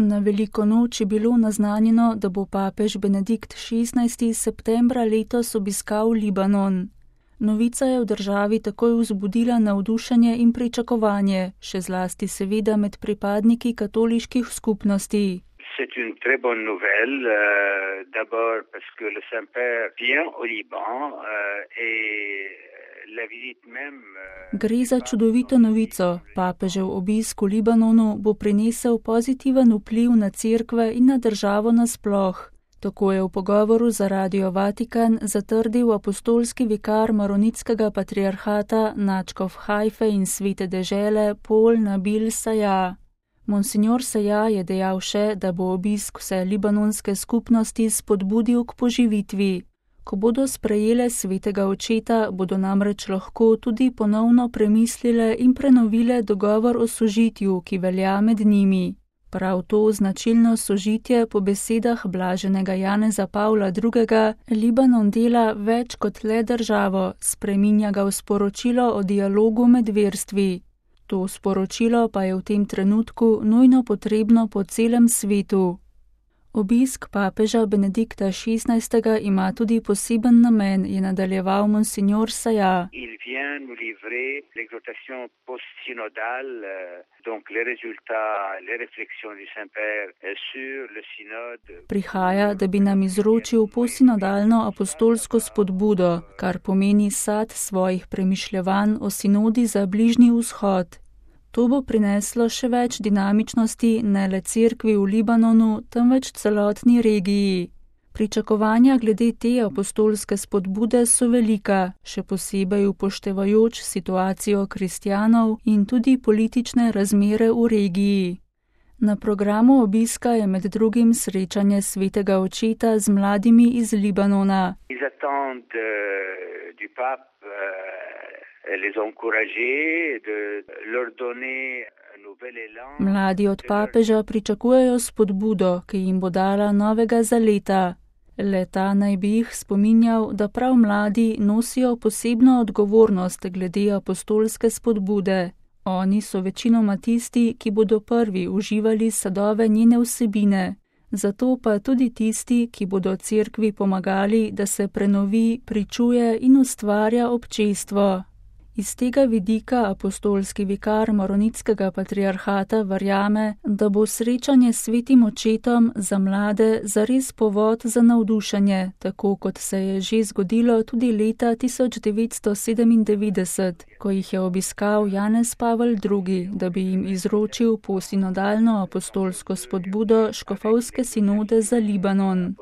Na veliko noč je bilo naznanjeno, da bo papež Benedikt XVI. Septembra letos obiskal Libanon. Novica je v državi takoj vzbudila navdušenje in pričakovanje, še zlasti seveda med pripadniki katoliških skupnosti. C'est une très bonne nouvelle, d'abord parce que le Saint-Père vient au Liban et la visite même. Gre za čudovito novico. Papežev obisk v Libanonu bo prinesel pozitiven vpliv na cerkve in na državo nasploh. Tako je v pogovoru za Radio Vatikan zatrdil apostolski vikar maronitskega patriarhata nadškof Hajfe in svete dežele Paul Nabil Saja. Monsignor Saja je dejal še, da bo obisk vse libanonske skupnosti spodbudil k poživitvi. Ko bodo sprejele svetega očeta, bodo namreč lahko tudi ponovno premislile in prenovile dogovor o sožitju, ki velja med njimi. Prav to značilno sožitje po besedah blaženega Janeza Pavla II. Libanon dela več kot le državo, spreminja ga v sporočilo o dialogu med verstvi. To sporočilo pa je v tem trenutku nujno potrebno po celem svetu. Obisk papeža Benedikta XVI. Ima tudi poseben namen, je nadaljeval monsignor Saja. Il vient nous livrer l'exhortation post-synodale, donc les résultats, les réflexions du Saint-Père sur le synode. Prihaja, da bi nam izročil posinodalno apostolsko spodbudo, kar pomeni sad svojih premišljevanj o sinodi za Bližnji vzhod. To bo prineslo še več dinamičnosti ne le cerkvi v Libanonu, temveč celotni regiji. Pričakovanja glede te apostolske spodbude so velika, še posebej upoštevajoč situacijo kristjanov in tudi politične razmere v regiji. Na programu obiska je med drugim srečanje svetega očeta z mladimi iz Libanona. Ils attendent du pape les encourager, de leur donner un nouvel élan. Mladi od papeža pričakujejo spodbudo, ki jim bo dala novega zaleta. Le-ta naj bi jih spominjal, da prav mladi nosijo posebno odgovornost glede apostolske spodbude. Oni so večinoma tisti, ki bodo prvi uživali sadove njene vsebine. Zato pa tudi tisti, ki bodo cerkvi pomagali, da se prenovi, pričuje in ustvarja občestvo. Iz tega vidika apostolski vikar maronitskega patriarhata verjame, da bo srečanje s svetim očetom za mlade zares povod za navdušenje, tako kot se je že zgodilo tudi leta 1997, ko jih je obiskal Janez Pavel II., da bi jim izročil posinodalno apostolsko spodbudo škofovske sinode za Libanon.